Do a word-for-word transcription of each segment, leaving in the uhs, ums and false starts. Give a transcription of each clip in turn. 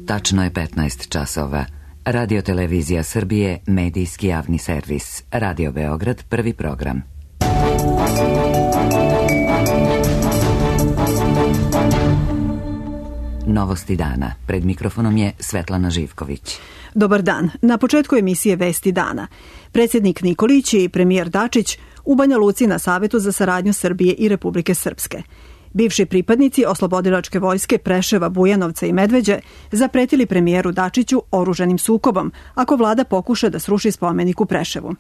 Tačno je petnaest časova. Radio Televizija Srbije, medijski javni servis. Radio Beograd, prvi program. Novosti dana. Pred mikrofonom je Svetlana Živković. Dobar dan. Na početku emisije Vesti dana. Predsjednik Nikolić i premijer Dačić u Banja Luci na Savetu za saradnju Srbije i Republike Srpske. Bivši pripadnici oslobodilačke vojske Preševa, Bujanovca i Medveđe zapretili premijeru Dačiću oružanim sukobom ako vlada pokuša da sruši spomenik u Preševu.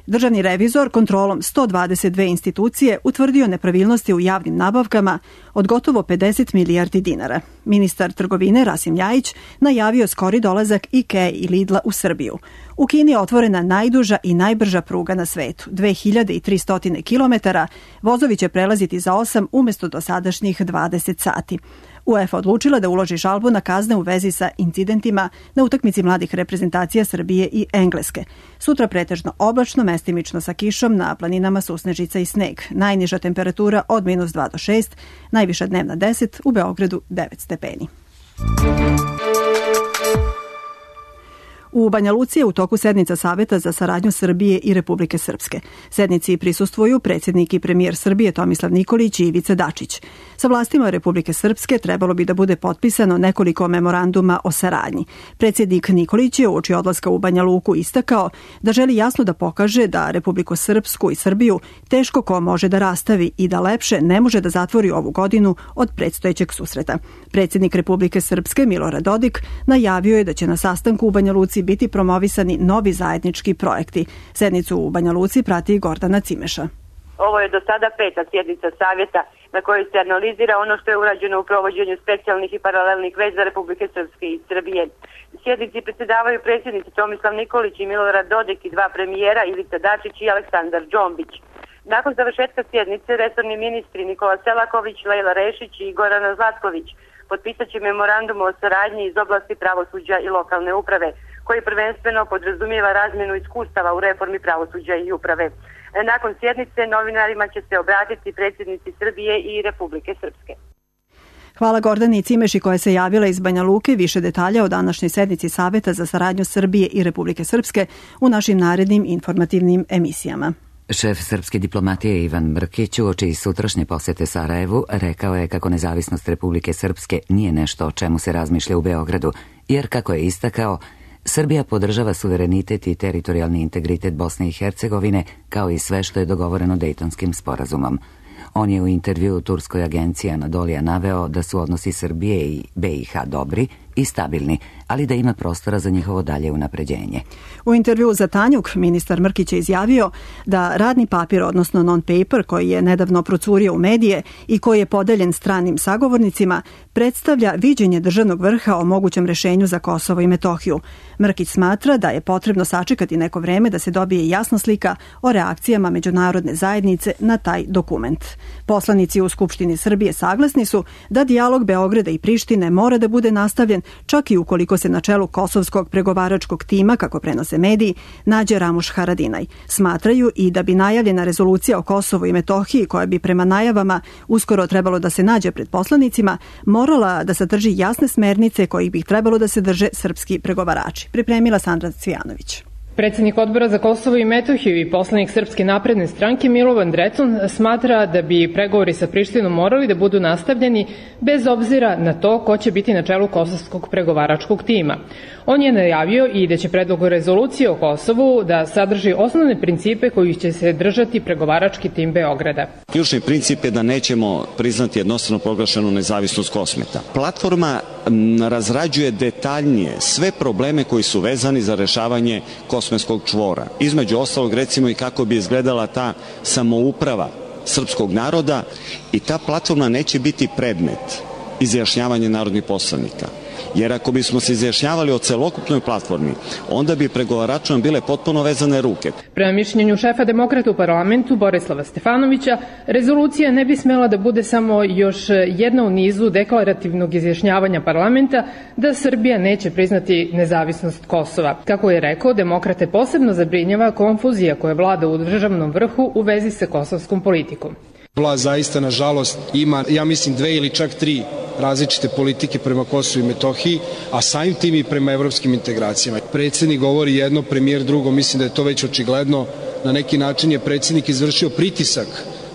Državni revizor kontrolom sto dvadeset dve institucije utvrdio nepravilnosti u javnim nabavkama od gotovo pedeset milijardi dinara. Ministar trgovine Rasim Ljajić najavio skori dolazak IKEA i Lidla u Srbiju. U Kini je otvorena najduža i najbrža pruga na svetu, dve hiljade tristo kilometara, vozovi će prelaziti za osam umjesto dosadašnjih dvadeset sati. UEFA odlučila da uloži žalbu na kazne u vezi sa incidentima na utakmici mladih reprezentacija Srbije i Engleske. Sutra pretežno oblačno, mestimično sa kišom, na planinama susnežica i sneg. Najniža temperatura od minus dva do šest, najviša dnevna deset, u Beogradu devet stepeni. U Banja Luci je u toku sednica Saveta za saradnju Srbije i Republike Srpske. Sednici prisustvuju predsjednik i premijer Srbije Tomislav Nikolić i Ivica Dačić. Sa vlastima Republike Srpske trebalo bi da bude potpisano nekoliko memoranduma o saradnji. Predsjednik Nikolić je uoči odlaska u Banja Luku istakao da želi jasno da pokaže da Republiku Srpsku i Srbiju teško ko može da rastavi i da lepše ne može da zatvori ovu godinu od predstojećeg susreta. Predsjednik Republike Srpske Milorad Dodik najavio je da će na sastanku u Banja Luci biti promovisani novi zajednički projekti. Sednicu u Banja Luci prati Gordana Cimeša. Ovo je do sada peta sjednica savjeta na kojoj se analizira ono što je urađeno u provođenju specijalnih i paralelnih veza Republike Srpske i Srbije. Sjednici predsjedavaju predsjednici Tomislav Nikolić i Milorad Dodik i dva premijera Ivica Dačić i Aleksandar Džombić. Nakon završetka sjednice resorni ministri Nikola Selaković, Lejla Rešić i Gorana Zlatković potpisat će memorandum o saradnji iz oblasti pravosuđa i lokalne uprave, koji prvenstveno podrazumijeva razmjenu iskustava u reformi pravosuđa i uprave. Nakon sjednice novinarima će se obratiti predsjednici Srbije i Republike Srpske. Hvala Gordani Cimeši koja se javila iz Banja Luke. Više detalja o današnjoj sednici Saveta za saradnju Srbije i Republike Srpske u našim narednim informativnim emisijama. Šef srpske diplomatije Ivan Mrkić uoči sutrašnje posjete Sarajevu rekao je kako nezavisnost Republike Srpske nije nešto o čemu se razmišlja u Beogradu, jer kako je istakao, Srbija podržava suverenitet i teritorijalni integritet Bosne i Hercegovine kao i sve što je dogovoreno Dejtonskim sporazumom. On je u intervjuu turskoj agenciji Anadolija naveo da su odnosi Srbije i B i H dobri i stabilni, ali da ima prostora za njihovo dalje unapređenje. U intervjuu za Tanjuk ministar Mrkić je izjavio da radni papir, odnosno non-paper, koji je nedavno procurio u medije i koji je podeljen stranim sagovornicima, predstavlja viđenje državnog vrha o mogućem rešenju za Kosovo i Metohiju. Mrkić smatra da je potrebno sačekati neko vreme da se dobije jasna slika o reakcijama međunarodne zajednice na taj dokument. Poslanici u Skupštini Srbije saglasni su da dijalog Beograda i Prištine mora da bude nastavljen čak i ukoliko se na čelu kosovskog pregovaračkog tima, kako prenose mediji, nađe Ramuš Haradinaj. Smatraju i da bi najavljena rezolucija o Kosovu i Metohiji, koja bi prema najavama uskoro trebalo da se nađe pred poslanicima, morala da sadrži jasne smernice kojih bi trebalo da se drže srpski pregovarači. Pripremila Sandra Cvijanović. Predsjednik Odbora za Kosovo i Metohiju i poslanik Srpske napredne stranke Milovan Drecun smatra da bi pregovori sa Prištinom morali da budu nastavljeni bez obzira na to ko će biti na čelu kosovskog pregovaračkog tima. On je najavio i da će predlog rezolucije o Kosovu da sadrži osnovne principe kojih će se držati pregovarački tim Beograda. Ključni princip je da nećemo priznati jednostrano proglašenu nezavisnost Kosmeta. Platforma razrađuje detaljnije sve probleme koji su vezani za rešavanje kosmetskog čvora. Između ostalog, recimo, i kako bi izgledala ta samouprava srpskog naroda, i ta platforma neće biti predmet izjašnjavanja narodnih poslanika. Jer ako bismo se izjašnjavali o celokupnoj platformi, onda bi pregovaračima bile potpuno vezane ruke. Prema mišljenju šefa demokrata u parlamentu Borislava Stefanovića, rezolucija ne bi smela da bude samo još jedna u nizu deklarativnog izjašnjavanja parlamenta da Srbija neće priznati nezavisnost Kosova. Kako je rekao, demokrate posebno zabrinjava konfuzija koja vlada u državnom vrhu u vezi sa kosovskom politikom. Vlast zaista, nažalost, ima, ja mislim, dve ili čak tri različite politike prema Kosovu i Metohiji, a samim tim i prema evropskim integracijama. Predsjednik govori jedno, premijer drugo, mislim da je to već očigledno. Na neki način je predsjednik izvršio pritisak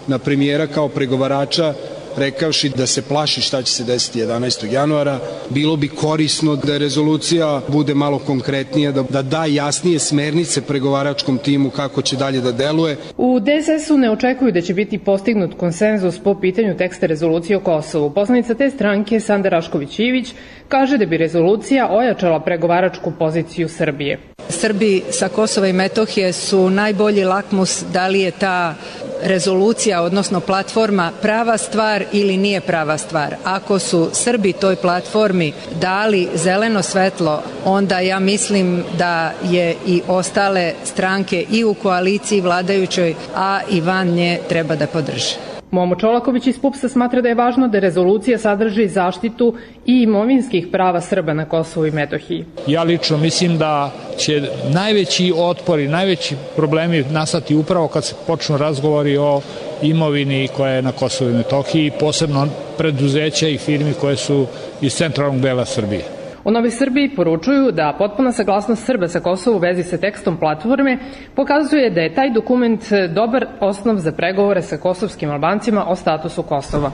na premijera kao pregovarača, rekavši da se plaši šta će se desiti jedanaestog januara. Bilo bi korisno da rezolucija bude malo konkretnija, da, da da jasnije smernice pregovaračkom timu kako će dalje da deluje. U D S S-u ne očekuju da će biti postignut konsenzus po pitanju teksta rezolucije o Kosovu. Poslanica te stranke, Sanda Rašković-Ivić, kaže da bi rezolucija ojačala pregovaračku poziciju Srbije. Srbi sa Kosova i Metohije su najbolji lakmus da li je ta rezolucija, odnosno platforma, prava stvar ili nije prava stvar. Ako su Srbi toj platformi dali zeleno svetlo, onda ja mislim da je i ostale stranke i u koaliciji vladajućoj, a i van nje treba da podrže. Momo Čolaković iz P U P S-a smatra da je važno da rezolucija sadrži zaštitu i imovinskih prava Srba na Kosovu i Metohiji. Ja lično mislim da će najveći otpor i najveći problemi nastati upravo kad se počnu razgovori o imovini koja je na Kosovu i Metohiji, posebno preduzeća i firmi koje su iz centralnog dela Srbije. U Novoj Srbiji poručuju da potpuna saglasnost Srba sa Kosovu u vezi sa tekstom platforme pokazuje da je taj dokument dobar osnov za pregovore sa kosovskim Albancima o statusu Kosova.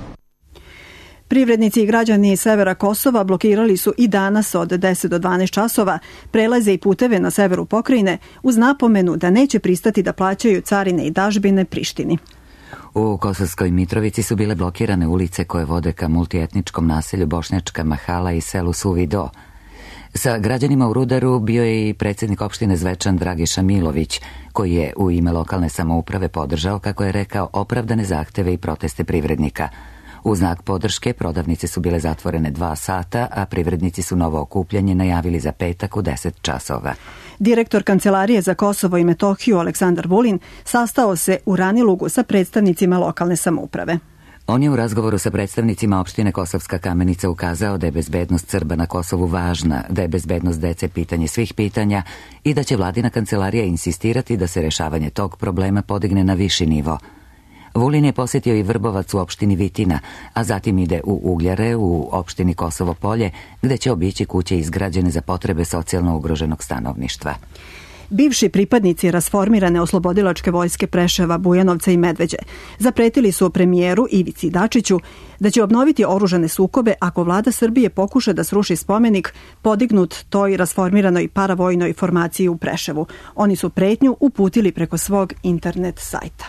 Privrednici i građani severa Kosova blokirali su i danas od deset do dvanaest časova prelaze i puteve na severu pokrajine uz napomenu da neće pristati da plaćaju carine i dažbine Prištini. U Kosovskoj Mitrovici su bile blokirane ulice koje vode ka multietničkom naselju Bošnjačka Mahala i selu Suvi Do. Sa građanima u Rudaru bio je i predsjednik opštine Zvečan Dragiša Milović, koji je u ime lokalne samouprave podržao, kako je rekao, opravdane zahteve i proteste privrednika. U znak podrške prodavnice su bile zatvorene dva sata, a privrednici su novo okupljanje najavili za petak u deset časova. Direktor Kancelarije za Kosovo i Metohiju Aleksandar Vulin sastao se u Ranilugu sa predstavnicima lokalne samouprave. On je u razgovoru sa predstavnicima opštine Kosovska Kamenica ukazao da je bezbednost Srba na Kosovu važna, da je bezbednost dece pitanje svih pitanja i da će vladina kancelarija insistirati da se rešavanje tog problema podigne na viši nivo. Vulin je posjetio i Vrbovac u opštini Vitina, a zatim ide u Ugljare u opštini Kosovo Polje, gde će obići kuće izgrađene za potrebe socijalno ugroženog stanovništva. Bivši pripadnici rasformirane oslobodilačke vojske Preševa, Bujanovca i Medveđe zapretili su premijeru Ivici Dačiću da će obnoviti oružane sukobe ako vlada Srbije pokuša da sruši spomenik podignut toj rasformiranoj paravojnoj formaciji u Preševu. Oni su pretnju uputili preko svog internet sajta.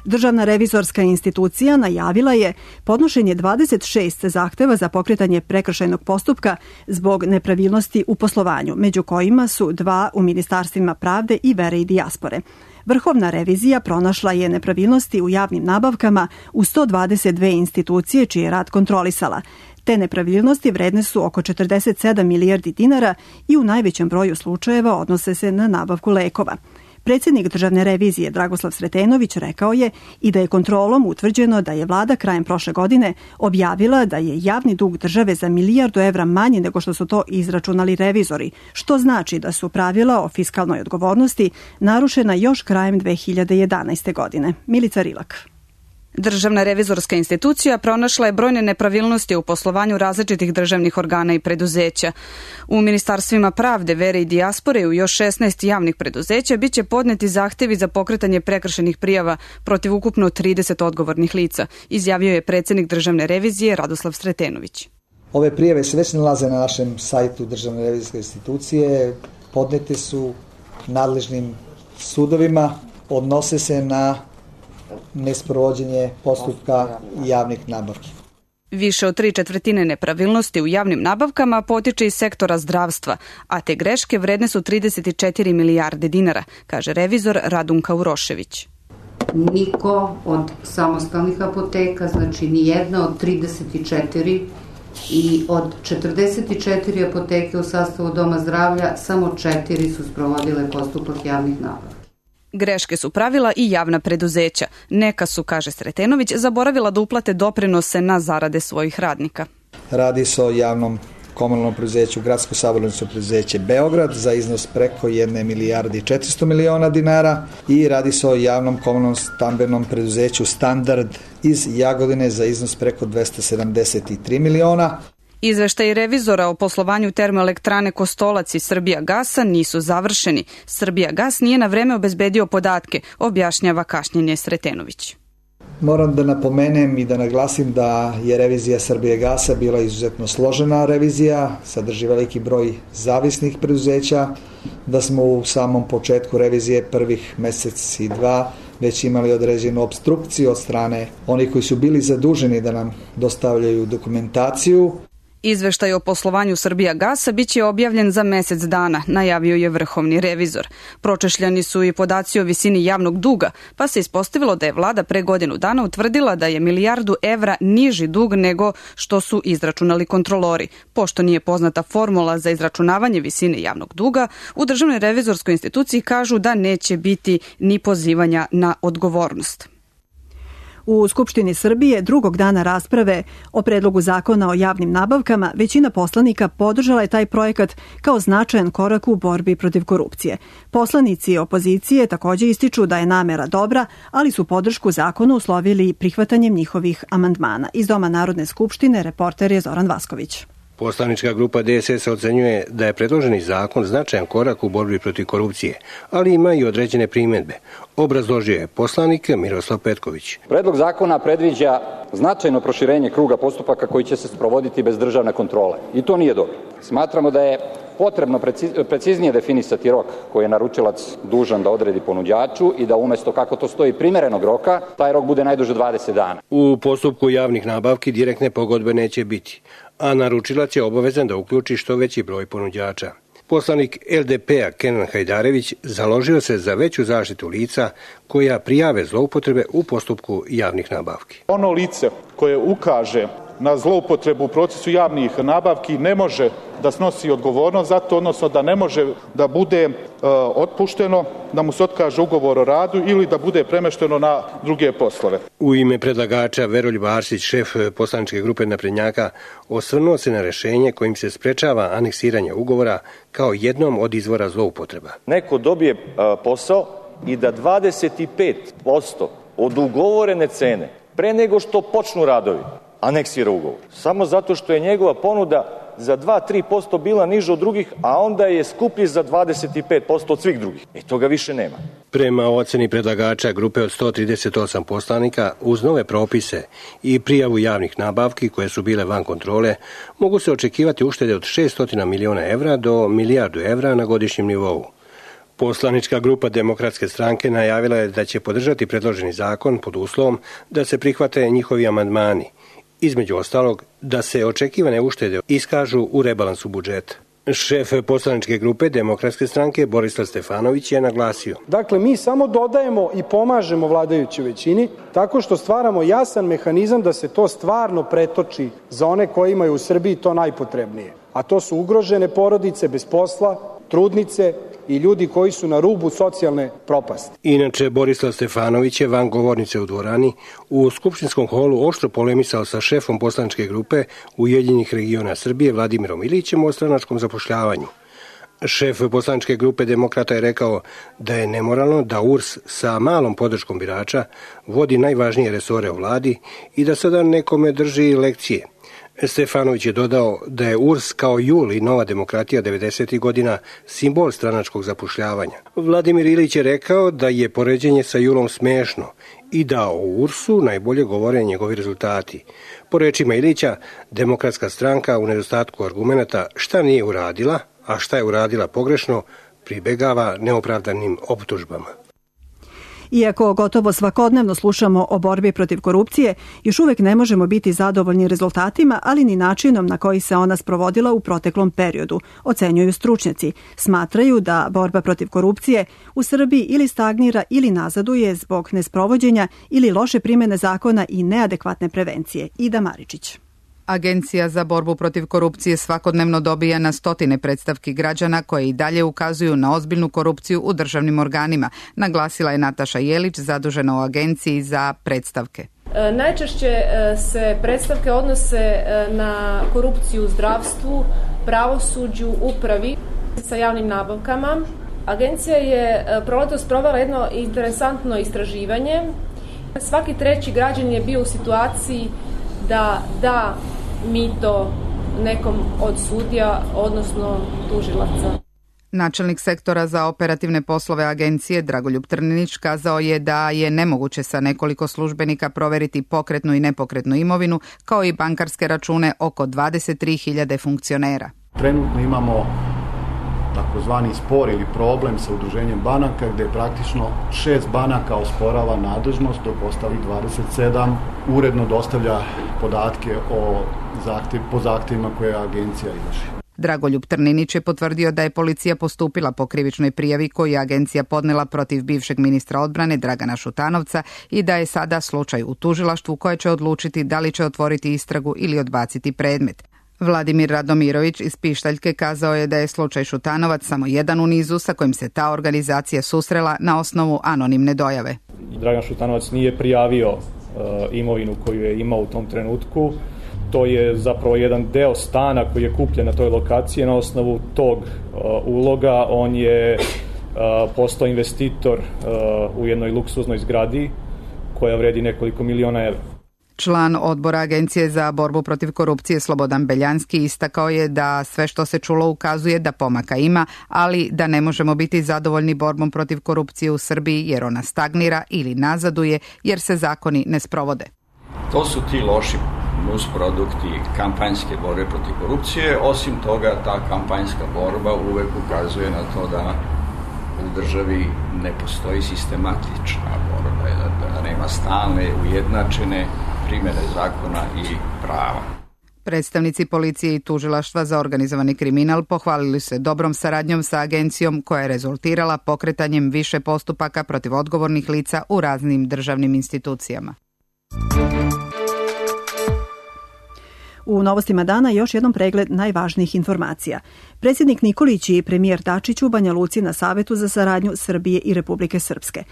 Državna revizorska institucija najavila je podnošenje dvadeset šest zahteva za pokretanje prekršajnog postupka zbog nepravilnosti u poslovanju, među kojima su dva u Ministarstvima pravde i vere i dijaspore. Vrhovna revizija pronašla je nepravilnosti u javnim nabavkama u sto dvadeset dve institucije čiji je rad kontrolisala. Te nepravilnosti vredne su oko četrdeset sedam milijardi dinara i u najvećem broju slučajeva odnose se na nabavku lekova. Predsjednik državne revizije Dragoslav Sretenović rekao je i da je kontrolom utvrđeno da je vlada krajem prošle godine objavila da je javni dug države za milijardu evra manji nego što su to izračunali revizori, što znači da su pravila o fiskalnoj odgovornosti narušena još krajem dve hiljade jedanaeste. godine. Milica Rilak. Državna revizorska institucija pronašla je brojne nepravilnosti u poslovanju različitih državnih organa i preduzeća. U Ministarstvima pravde, vere i dijaspore i u još šesnaest javnih preduzeća biće podneti zahtevi za pokretanje prekršajnih prijava protiv ukupno trideset odgovornih lica, izjavio je predsjednik državne revizije Radoslav Sretenović. Ove prijave se već nalaze na našem sajtu Državne revizorske institucije, podnete su nadležnim sudovima, odnose se na nesprovođenje postupka javnih nabavki. Više od tri četvrtine nepravilnosti u javnim nabavkama potiče iz sektora zdravstva, a te greške vredne su trideset četiri milijarde dinara, kaže revizor Radunka Urošević. Niko od samostalnih apoteka, znači ni jedna od trideset četiri i od četrdeset četiri apoteke u sastavu Doma zdravlja, samo četiri su sprovodile postupak javnih nabavki. Greške su pravila i javna preduzeća. Neka su, kaže Sretenović, zaboravila da uplate doprinose na zarade svojih radnika. Radi se o javnom komunalnom preduzeću Gradsko saobraćajno preduzeće Beograd za iznos preko jedne milijarde i četiristo miliona dinara i radi se o javnom komunalnom stambenom preduzeću Standard iz Jagodine za iznos preko dvesta sedamdeset tri miliona. Izveštaji revizora o poslovanju termoelektrane Kostolac i Srbijagasa nisu završeni. Srbijagas nije na vreme obezbedio podatke, objašnjava Kašnjenje Sretenović. Moram da napomenem i da naglasim da je revizija Srbijagasa bila izuzetno složena revizija, sadrži veliki broj zavisnih preduzeća, da smo u samom početku revizije prvih mesec i dva već imali određenu opstrukciju od strane onih koji su bili zaduženi da nam dostavljaju dokumentaciju. Izveštaj o poslovanju Srbijagasa biće objavljen za mesec dana, najavio je vrhovni revizor. Pročešljani su i podaci o visini javnog duga, pa se ispostavilo da je vlada pre godinu dana utvrdila da je milijardu evra niži dug nego što su izračunali kontrolori. Pošto nije poznata formula za izračunavanje visine javnog duga, u Državnoj revizorskoj instituciji kažu da neće biti ni pozivanja na odgovornost. U Skupštini Srbije drugog dana rasprave o predlogu zakona o javnim nabavkama većina poslanika podržala je taj projekat kao značajan korak u borbi protiv korupcije. Poslanici opozicije takođe ističu da je namera dobra, ali su podršku zakonu uslovili prihvatanjem njihovih amandmana. Iz Doma Narodne skupštine reporter je Zoran Vasković. Poslanička grupa D S S ocenjuje da je predloženi zakon značajan korak u borbi protiv korupcije, ali ima i određene primjedbe. Obrazložio je poslanik Miroslav Petković. Predlog zakona predviđa značajno proširenje kruga postupaka koji će se sprovoditi bez državne kontrole. I to nije dobro. Smatramo da je potrebno preciznije definisati rok koji je naručilac dužan da odredi ponuđaču i da umesto, kako to stoji, primerenog roka, taj rok bude najduže dvadeset dana. U postupku javnih nabavki direktne pogodbe neće biti, a naručilac je obavezan da uključi što veći broj ponuđača. Poslanik L D P-a Kenan Hajdarević založio se za veću zaštitu lica koja prijave zloupotrebe u postupku javnih nabavki. Ono lice koje ukaže na zloupotrebu u procesu javnih nabavki ne može da snosi odgovornost za to, odnosno da ne može da bude e, otpušteno, da mu se otkaže ugovor o radu ili da bude premešteno na druge poslove. U ime predlagača Veroljub Arsić, šef poslaničke grupe naprednjaka, osvrnuo se na rešenje kojim se sprečava aneksiranje ugovora kao jednom od izvora zloupotreba. Neko dobije a, posao i da dvadeset pet posto od ugovorene cene pre nego što počnu radovi aneksira ugovor. Samo zato što je njegova ponuda za dva do tri posto bila niža od drugih, a onda je skuplji za dvadeset pet posto od svih drugih. E toga više nema. Prema oceni predlagača grupe od sto trideset osam poslanika, uz nove propise i prijavu javnih nabavki koje su bile van kontrole, mogu se očekivati uštede od šessto miliona evra do milijardu evra na godišnjem nivou. Poslanička grupa Demokratske stranke najavila je da će podržati predloženi zakon pod uslovom da se prihvate njihovi amandmani. Između ostalog, da se očekivane uštede iskažu u rebalansu budžeta. Šef poslaničke grupe Demokratske stranke Borislav Stefanović je naglasio. Dakle, mi samo dodajemo i pomažemo vladajućoj većini tako što stvaramo jasan mehanizam da se to stvarno pretoči za one koji imaju u Srbiji to najpotrebnije. A to su ugrožene porodice bez posla, trudnice i ljudi koji su na rubu socijalne propasti. Inače, Borislav Stefanović je van govornice u dvorani u skupštinskom holu oštro polemisao sa šefom poslaničke grupe Ujedinjenih regiona Srbije Vladimirom Ilićem o stranačkom zapošljavanju. Šef poslaničke grupe Demokrata je rekao da je nemoralno da U R S sa malom podrškom birača vodi najvažnije resore u vladi i da sada nekome drži lekcije. Stefanović je dodao da je U R S kao J U L i Nova demokratija devedesetih godina simbol stranačkog zapošljavanja. Vladimir Ilić je rekao da je poređenje sa J U L-om smešno i da o U R S-u najbolje govore njegovi rezultati. Po rečima Ilića, Demokratska stranka u nedostatku argumenata šta nije uradila, a šta je uradila pogrešno, pribegava neopravdanim optužbama. Iako gotovo svakodnevno slušamo o borbi protiv korupcije, još uvek ne možemo biti zadovoljni rezultatima, ali ni načinom na koji se ona sprovodila u proteklom periodu, ocenjuju stručnjaci. Smatraju da borba protiv korupcije u Srbiji ili stagnira ili nazaduje zbog nesprovođenja ili loše primene zakona i neadekvatne prevencije. Ida Maričić. Agencija za borbu protiv korupcije svakodnevno dobija na stotine predstavki građana koje i dalje ukazuju na ozbiljnu korupciju u državnim organima, naglasila je Nataša Jelić, zadužena u Agenciji za predstavke. Najčešće se predstavke odnose na korupciju u zdravstvu, pravosuđu, upravi sa javnim nabavkama. Agencija je proletos provela jedno interesantno istraživanje. Svaki treći građanin je bio u situaciji da da mito nekom od sudija, odnosno tužilaca. Načelnik sektora za operativne poslove agencije Dragoljub Trninić kazao je da je nemoguće sa nekoliko službenika proveriti pokretnu i nepokretnu imovinu, kao i bankarske račune oko dvadeset tri hiljade funkcionera. Trenutno imamo takozvani spor ili problem sa udruženjem banaka gde praktično šest banaka osporava nadležnost, dok ostalih dvadeset sedam uredno dostavlja podatke o zahtev, po zahtevima koje agencija izvrši. Dragoljub Trninić je potvrdio da je policija postupila po krivičnoj prijavi koju je agencija podnela protiv bivšeg ministra odbrane Dragana Šutanovca i da je sada slučaj u tužilaštvu koje će odlučiti da li će otvoriti istragu ili odbaciti predmet. Vladimir Radomirović iz Pištaljke kazao je da je slučaj Šutanovac samo jedan u nizu sa kojim se ta organizacija susrela na osnovu anonimne dojave. Dragan Šutanovac nije prijavio uh, imovinu koju je imao u tom trenutku. To je zapravo jedan deo stana koji je kupljen na toj lokaciji. Na osnovu tog uh, uloga on je uh, postao investitor uh, u jednoj luksuznoj zgradi koja vredi nekoliko miliona evra. Član odbora Agencije za borbu protiv korupcije Slobodan Beljanski istakao je da sve što se čulo ukazuje da pomaka ima, ali da ne možemo biti zadovoljni borbom protiv korupcije u Srbiji jer ona stagnira ili nazaduje jer se zakoni ne sprovode. To su ti loši nusprodukti kampanjske borbe protiv korupcije. Osim toga, ta kampanjska borba uvek ukazuje na to da u državi ne postoji sistematična borba, da, da nema stalne, ujednačene primjene zakona i prava. Predstavnici policije i tužilaštva za organizovani kriminal pohvalili se dobrom saradnjom sa agencijom koja je rezultirala pokretanjem više postupaka protiv odgovornih lica u raznim državnim institucijama. U novostima dana još jednom pregled najvažnijih informacija. Predsjednik Nikolić i premijer Dačić u Banja Luci na Savetu za saradnju Srbije i Republike Srpske.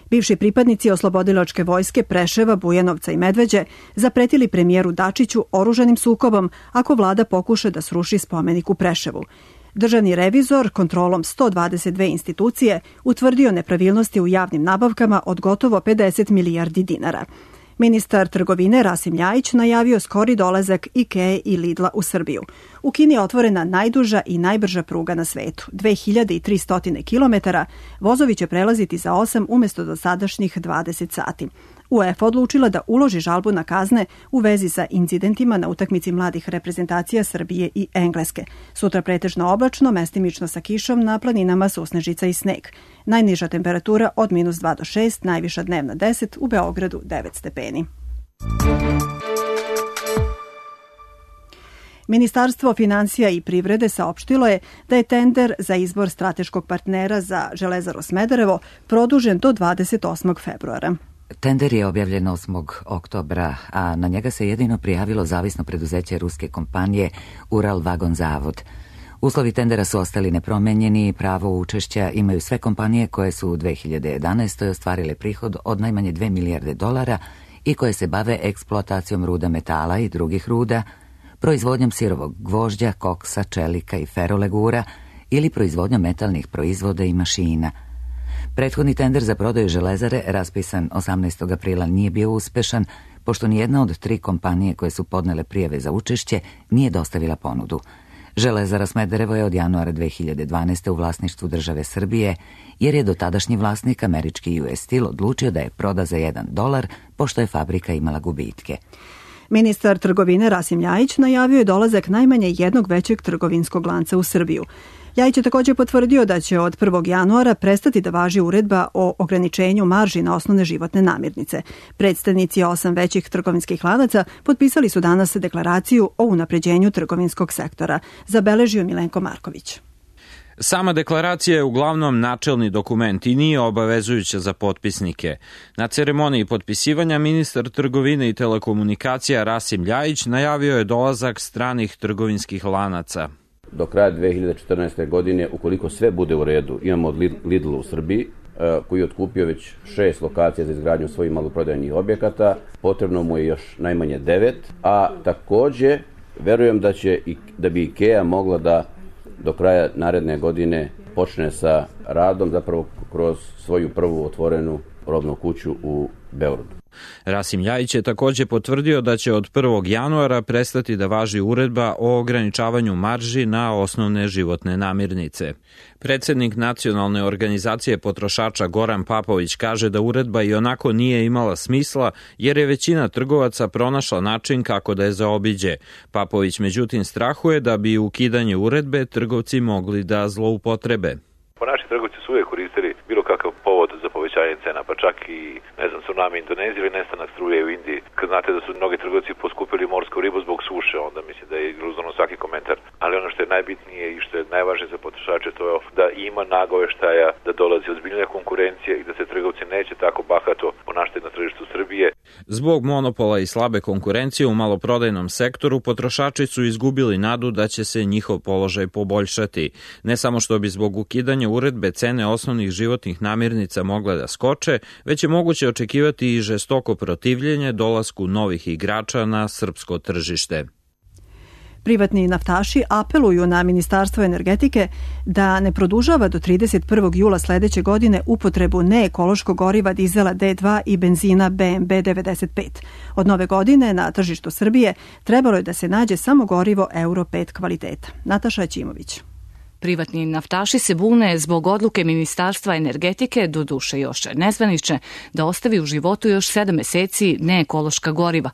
Bivši pripadnici oslobodilačke vojske Preševa, Bujanovca i Medveđe zapretili premijeru Dačiću oružanim sukobom ako vlada pokuša da sruši spomenik u Preševu. Državni revizor kontrolom sto dvadeset dve institucije utvrdio nepravilnosti u javnim nabavkama od gotovo pedeset milijardi dinara. Ministar trgovine Rasim Ljajić najavio skori dolazak IKEA i Lidla u Srbiju. U Kini je otvorena najduža i najbrža pruga na svetu, dve hiljade tristo kilometara, vozovi će prelaziti za osam umjesto dosadašnjih dvadeset sati. UEFA odlučila da uloži žalbu na kazne u vezi sa incidentima na utakmici mladih reprezentacija Srbije i Engleske. Sutra pretežno oblačno, mestimično sa kišom, na planinama susnežica i sneg. Najniža temperatura od minus dva do šest, najviša dnevna deset, u Beogradu devet stepeni. Ministarstvo finansija i privrede saopštilo je da je tender za izbor strateškog partnera za Železaru Smederevo produžen do dvadeset osmog februara. Tender je objavljen osmog oktobra, a na njega se jedino prijavilo zavisno preduzeće ruske kompanije Ural Vagon Zavod. Uslovi tendera su ostali nepromenjeni i pravo učešća imaju sve kompanije koje su u dve hiljade jedanaestoj. ostvarile prihod od najmanje dve milijarde dolara i koje se bave eksploatacijom ruda metala i drugih ruda, proizvodnjom sirovog gvožđa, koksa, čelika i ferolegura ili proizvodnjom metalnih proizvoda i mašina. Prethodni tender za prodaju železare, raspisan osamnaestog aprila, nije bio uspešan, pošto nijedna od tri kompanije koje su podnele prijave za učešće nije dostavila ponudu. Železara Smederevo je od januara dve hiljade dvanaeste. u vlasništvu države Srbije, jer je dotadašnji vlasnik, američki U S Steel, odlučio da je proda za jedan dolar, pošto je fabrika imala gubitke. Ministar trgovine Rasim Ljajić najavio je dolazak najmanje jednog većeg trgovinskog lanca u Srbiju. Ljajić je također potvrdio da će od prvog januara prestati da važi uredba o ograničenju marži na osnovne životne namirnice. Predstavnici osam većih trgovinskih lanaca potpisali su danas deklaraciju o unapređenju trgovinskog sektora, zabeležio Milenko Marković. Sama deklaracija je uglavnom načelni dokument i nije obavezujuća za potpisnike. Na ceremoniji potpisivanja ministar trgovine i telekomunikacija Rasim Ljajić najavio je dolazak stranih trgovinskih lanaca. Do kraja dve hiljade četrnaeste. godine, ukoliko sve bude u redu, imamo Lidl u Srbiji, koji je otkupio već šest lokacija za izgradnju svojih maloprodajnih objekata. Potrebno mu je još najmanje devet, a takođe verujem da će i, da bi IKEA mogla da do kraja naredne godine počne sa radom, zapravo kroz svoju prvu otvorenu robnu kuću u Beogradu. Rasim Ljajić je takođe potvrdio da će od prvog januara prestati da važi uredba o ograničavanju marži na osnovne životne namirnice. Predsednik Nacionalne organizacije potrošača Goran Papović kaže da uredba i onako nije imala smisla jer je većina trgovaca pronašla način kako da je zaobiđe. Papović međutim strahuje da bi ukidanje uredbe trgovci mogli da zloupotrebe. Po naši trgovci su uvijek koristili bilo kakav povod za povećanje cena, pa čak i, ne znam, tsunami Indonezije ili nestanak struje u Indiji. Kad znate da su mnogi trgovci poskupili morsku ribu zbog suše, onda mislim da je iluzorno svaki komentar. Ali ono što je najbitnije i što je najvažnije za potrošače to je da ima nagoveštaja, da dolazi ozbiljnija konkurencija i da se trgovci neće tako bahato ponašati na tržištu Srbije. Zbog monopola i slabe konkurencije u maloprodajnom sektoru potrošači su izgubili nadu da će se njihov položaj poboljšati. Ne samo što bi zbog ukidanja uredbe cene osnovnih životnih namirnica mogle da skoče, već je moguće očekivati i žestoko protivljenje dolasku novih igrača na srpsko tržište. Privatni naftaši apeluju na Ministarstvo energetike da ne produžava do trideset prvog jula sledeće godine upotrebu neekološkog goriva dizela D dva i benzina B M B devedeset pet. Od nove godine na tržištu Srbije trebalo je da se nađe samo gorivo Euro pet kvaliteta. Nataša Ćimović. Privatni naftaši se bune zbog odluke Ministarstva energetike, doduše još nezvanične, da ostavi u životu još sedam meseci neekološka goriva.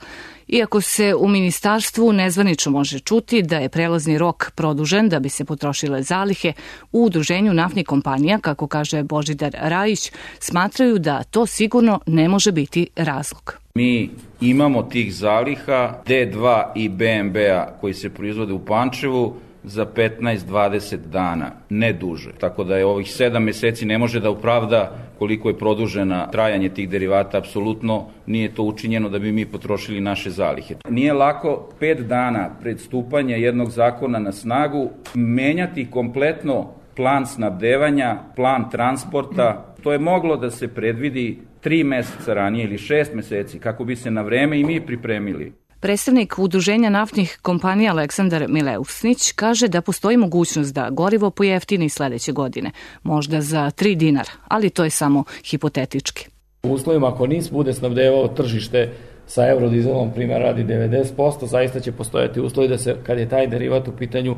Iako se u ministarstvu nezvanično može čuti da je prelazni rok produžen da bi se potrošile zalihe, u udruženju naftnih kompanija, kako kaže Božidar Rajić, smatraju da to sigurno ne može biti razlog. Mi imamo tih zaliha D dva i B M B-a koji se proizvode u Pančevu za petnaest do dvadeset dana, ne duže. Tako da je ovih sedam meseci ne može da opravda koliko je produžena trajanje tih derivata, apsolutno nije to učinjeno da bi mi potrošili naše zalihe. Nije lako pet dana pred stupanje jednog zakona na snagu menjati kompletno plan snabdevanja, plan transporta. To je moglo da se predvidi tri meseca ranije ili šest meseci kako bi se na vreme i mi pripremili. Predstavnik Udruženja naftnih kompanija Aleksandar Mileusnić kaže da postoji mogućnost da gorivo pojeftini sledeće godine, možda za tri dinara, ali to je samo hipotetički. U uslovima ako NIS bude snabdevao tržište sa eurodizelom, primjer radi devedeset posto, zaista će postojati uslovi da se, kad je taj derivat u pitanju,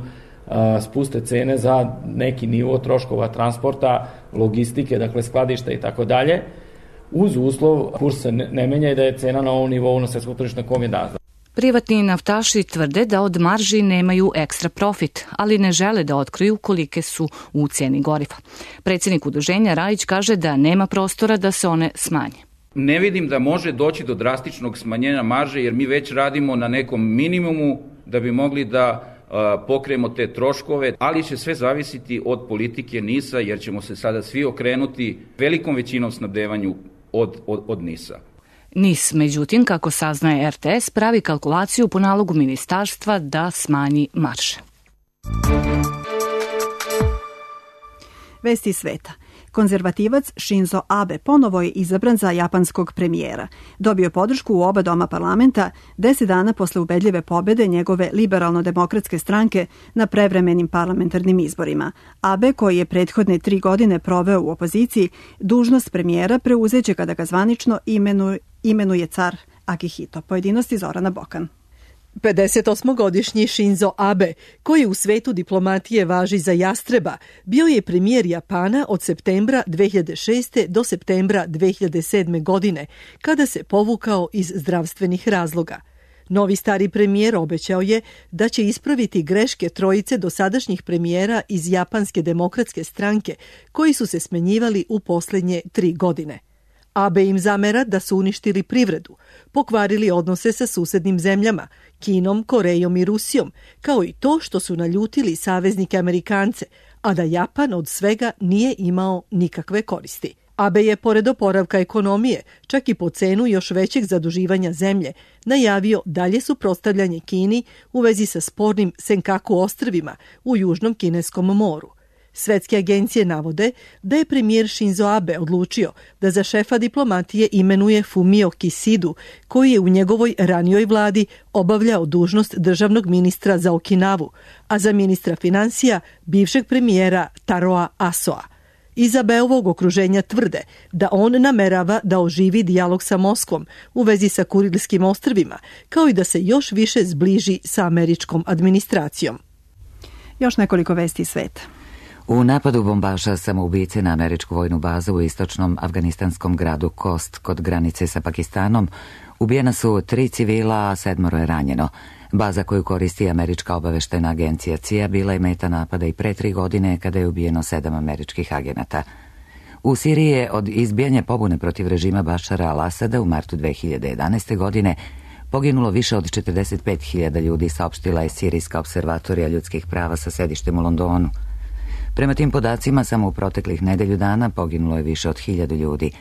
spuste cene za neki nivo troškova transporta, logistike, dakle skladišta i tako dalje, uz uslov kurs se ne menja i da je cena na ovom nivou na svetskom tržištu na kom je danas. Privatni naftaši tvrde da od marži nemaju ekstra profit, ali ne žele da otkriju kolike su u ceni goriva. Predsjednik udruženja Rajić kaže da nema prostora da se one smanje. Ne vidim da može doći do drastičnog smanjenja marže jer mi već radimo na nekom minimumu da bi mogli da pokrijemo te troškove, ali će sve zavisiti od politike NIS-a jer ćemo se sada svi okrenuti velikom većinom snabdevanju od, od, od NIS-a. NIS, međutim, kako saznaje R T S, pravi kalkulaciju po nalogu ministarstva da smanji marže. Vesti sveta. Konzervativac Shinzo Abe ponovo je izabran za japanskog premijera. Dobio podršku u oba doma parlamenta deset dana posle ubedljive pobede njegove liberalno-demokratske stranke na prevremenim parlamentarnim izborima. Abe, koji je prethodne tri godine proveo u opoziciji, dužnost premijera preuzeće kada ga zvanično imenuje, imenuje car Akihito. Pojedinosti Zorana Bokan. pedesetosmogodišnji Shinzo Abe, koji u svetu diplomatije važi za jastreba, bio je premijer Japana od septembra dve hiljade šeste. do septembra dve hiljade sedme. godine, kada se povukao iz zdravstvenih razloga. Novi stari premijer obećao je da će ispraviti greške trojice dosadašnjih premijera iz Japanske demokratske stranke, koji su se smenjivali u poslednje tri godine. Abe im zamera da su uništili privredu, pokvarili odnose sa susednim zemljama, Kinom, Korejom i Rusijom, kao i to što su naljutili saveznike Amerikance, a da Japan od svega nije imao nikakve koristi. Abe je, pored oporavka ekonomije, čak i po cenu još većeg zaduživanja zemlje, najavio dalje suprotstavljanje Kini u vezi sa spornim Senkaku ostrvima u Južnom Kineskom moru. Svetske agencije navode da je premijer Shinzo Abe odlučio da za šefa diplomatije imenuje Fumio Kisidu, koji je u njegovoj ranijoj vladi obavljao dužnost državnog ministra za Okinavu, a za ministra finansija bivšeg premijera Taroa Asoa. Iz Abeovog okruženja tvrde da on namerava da oživi dijalog sa Moskvom u vezi sa Kurilskim ostrvima, kao i da se još više zbliži sa američkom administracijom. Još nekoliko vesti iz sveta. U napadu bombaša samoubice na američku vojnu bazu u istočnom afganistanskom gradu Kost kod granice sa Pakistanom ubijena su tri civila, a sedmoro je ranjeno. Baza koju koristi američka obaveštajna agencija C I A bila je meta napada i pre tri godine kada je ubijeno sedam američkih agenata. U Siriji je od izbijanja pobune protiv režima Bašara al-Asada u martu dve hiljade jedanaeste. godine poginulo više od četrdeset pet hiljada ljudi, saopštila je Sirijska observatorija ljudskih prava sa sedištem u Londonu. Prema tim podacima, samo u proteklih nedelju dana poginulo je više od hiljadu ljudi.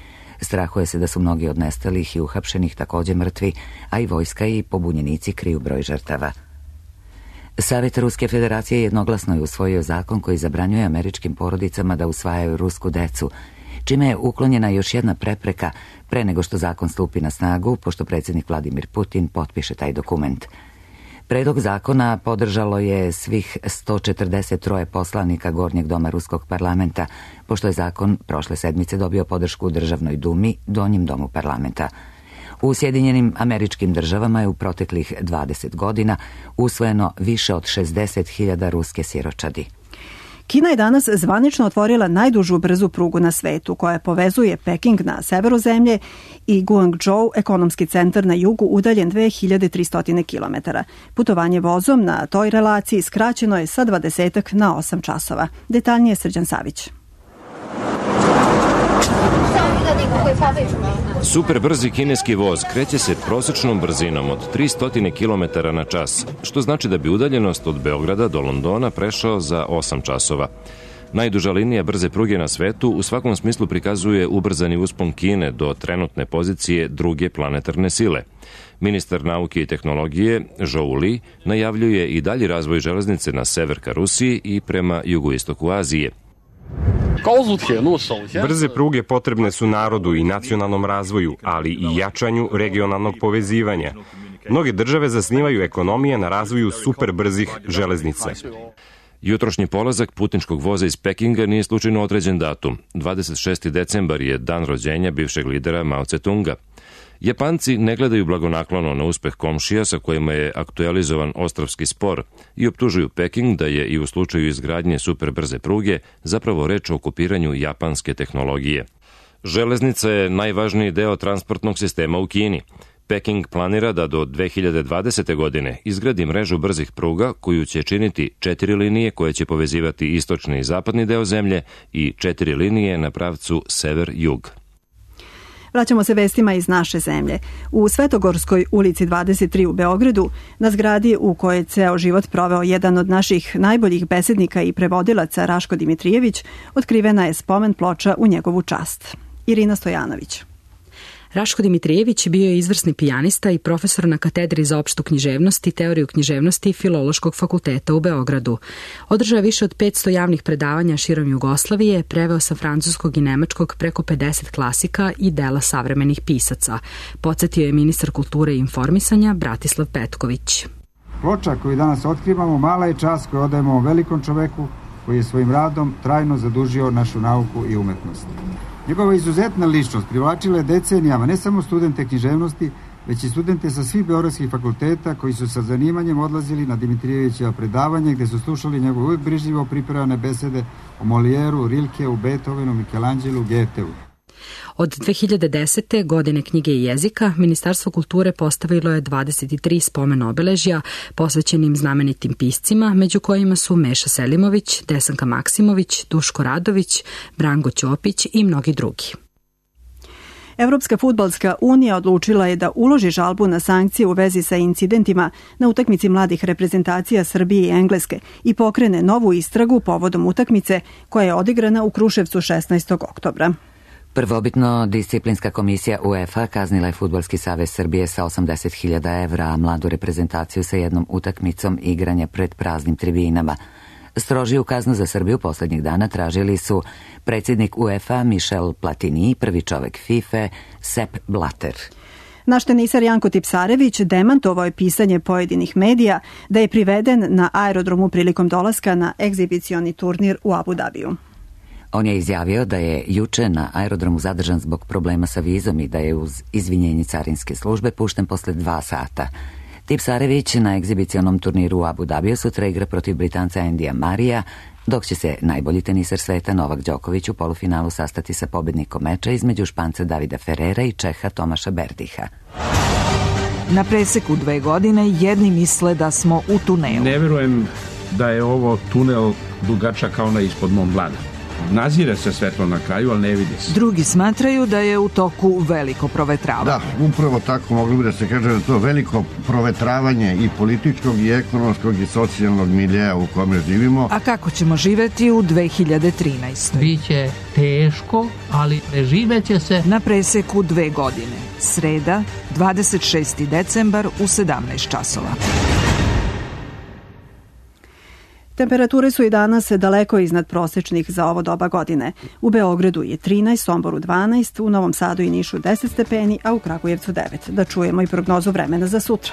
Strahuje se da su mnogi od nestalih i uhapšenih također mrtvi, a i vojska i pobunjenici kriju broj žrtava. Savet Ruske federacije jednoglasno je usvojio zakon koji zabranjuje američkim porodicama da usvajaju rusku decu, čime je uklonjena još jedna prepreka pre nego što zakon stupi na snagu, pošto predsjednik Vladimir Putin potpiše taj dokument. Predlog zakona podržalo je svih sto četrdeset tri poslanika Gornjeg doma Ruskog parlamenta, pošto je zakon prošle sedmice dobio podršku u Državnoj dumi, Donjem domu parlamenta. U Sjedinjenim Američkim Državama je u proteklih dvadeset godina usvojeno više od šezdeset hiljada ruske siročadi. Kina je danas zvanično otvorila najdužu brzu prugu na svetu, koja povezuje Peking na severu zemlje i Guangzhou, ekonomski centar na jugu, udaljen dve hiljade tristo kilometara. Putovanje vozom na toj relaciji skraćeno je sa dvadesetak na osam časova. Detaljnije Srđan Savić. Super brzi kineski voz kreće se prosječnom brzinom od tristo kilometara na čas, što znači da bi udaljenost od Beograda do Londona prešao za osam časova. Najduža linija brze pruge na svetu u svakom smislu prikazuje ubrzani uspon Kine do trenutne pozicije druge planetarne sile. Ministar nauke i tehnologije Zhou Li najavljuje i dalji razvoj železnice na sever ka Rusiji i prema jugoistoku Azije. Brze pruge potrebne su narodu i nacionalnom razvoju, ali i jačanju regionalnog povezivanja. Mnoge države zasnivaju ekonomije na razvoju superbrzih železnica. Jutrošnji polazak putničkog voza iz Pekinga nije slučajno određen datum. dvadeset šesti decembar je dan rođenja bivšeg lidera Mao Tse-tunga. Japanci ne gledaju blagonaklono na uspeh komšija sa kojima je aktualizovan ostrvski spor i optužuju Peking da je i u slučaju izgradnje superbrze pruge zapravo reč o okupiranju japanske tehnologije. Železnica je najvažniji deo transportnog sistema u Kini. Peking planira da do dve hiljade dvadesete. godine izgradi mrežu brzih pruga koju će činiti četiri linije koje će povezivati istočni i zapadni deo zemlje i četiri linije na pravcu sever-jug. Vraćamo se vestima iz naše zemlje. U Svetogorskoj ulici dvadeset tri u Beogradu, na zgradi u kojoj je ceo život proveo jedan od naših najboljih besednika i prevodilaca Raško Dimitrijević, otkrivena je spomen ploča u njegovu čast. Irina Stojanović. Raško Dimitrijević bio je izvrsni pijanista i profesor na katedri za opštu književnost i teoriju književnosti Filološkog fakulteta u Beogradu. Održao više od petsto javnih predavanja širom Jugoslavije, preveo sa francuskog i nemačkog preko pedeset klasika i dela savremenih pisaca. Podsjetio je ministar kulture i informisanja Bratislav Petković. Ploča koju danas otkrivamo mala je čast koju odajemo ovom velikom čoveku koji je svojim radom trajno zadužio našu nauku i umetnost. Njegova izuzetna ličnost privlačila je decenijama ne samo studente književnosti, već i studente sa svih beogradskih fakulteta koji su sa zanimanjem odlazili na Dimitrijevićeva predavanje gde su slušali njegove uvijek brižljivo pripremane besede o Molijeru, Rilkeu, Beethovenu, Michelangelu, Goetheu. Od dve hiljade desete. godine knjige i jezika, Ministarstvo kulture postavilo je dvadeset tri spomen obeležja posvećenim znamenitim piscima, među kojima su Meša Selimović, Desanka Maksimović, Duško Radović, Branko Ćopić i mnogi drugi. Evropska fudbalska unija odlučila je da uloži žalbu na sankcije u vezi sa incidentima na utakmici mladih reprezentacija Srbije i Engleske i pokrene novu istragu povodom utakmice koja je odigrana u Kruševcu šesnaestog oktobra. Prvobitno, disciplinska komisija UEFA kaznila je Fudbalski savez Srbije sa osamdeset hiljada evra, a mladu reprezentaciju sa jednom utakmicom igranja pred praznim tribinama. Strožiju kaznu za Srbiju poslednjih dana tražili su predsjednik UEFA Michel Platini i prvi čovek FIFA Sepp Blatter. Naš tenisar Janko Tipsarević demantovao je pisanje pojedinih medija da je priveden na aerodromu prilikom dolaska na egzibicioni turnir u Abu Dabiju. On je izjavio da je juče na aerodromu zadržan zbog problema sa vizom i da je uz izvinjenje carinske službe pušten posle dva sata. Tipsarević na egzibicionom turniru u Abu Dabiju sutra igra protiv Britanca Endija Marija, dok će se najbolji tenisar sveta Novak Đoković u polufinalu sastati sa pobednikom meča između Španca Davida Ferrera i Čeha Tomaša Berdiha. Na preseku dve godine jedni misle da smo u tunelu. Ne verujem da je ovo tunel dugačak kao na ispod Mont Blanc. Nazire se svetlo na kraju, ali ne vidi se. Drugi smatraju da je u toku veliko provetravanje. Da, upravo tako mogli bi da se kaže da to veliko provetravanje i političkog i ekonomskog i socijalnog miljeja u kome živimo. A kako ćemo živeti u dve hiljade trinaestoj. Biće teško, ali preživeće se. Na preseku dve godine. Sreda, dvadeset šesti decembar u sedamnaest časova. Temperature su i danas daleko iznad prosečnih za ovo doba godine. U Beogradu je trinaest, Somboru dvanaest, u Novom Sadu i Nišu deset stepeni, a u Kragujevcu devet. Da čujemo i prognozu vremena za sutra.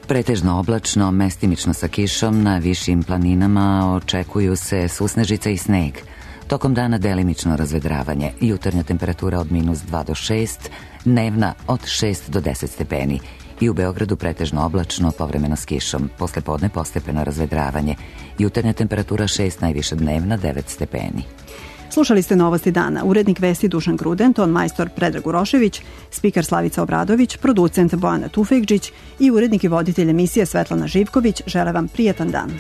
Pretežno oblačno, mestimično sa kišom, na višim planinama očekuju se susnežica i sneg. Tokom dana delimično razvedravanje, jutarnja temperatura od minus dva do šest, dnevna od šest do deset stepeni. I u Beogradu pretežno oblačno, povremeno s kišom, posle podne postepeno razvedravanje. Jutarnja temperatura šest, najviša dnevna devet stepeni. Slušali ste Novosti dana. Urednik vesti Dušan Gruden, ton majstor Predrag Urošević, spiker Slavica Obradović, producent Bojana Tufekđić i urednik i voditelj emisije Svetlana Živković. Žele vam prijatan dan.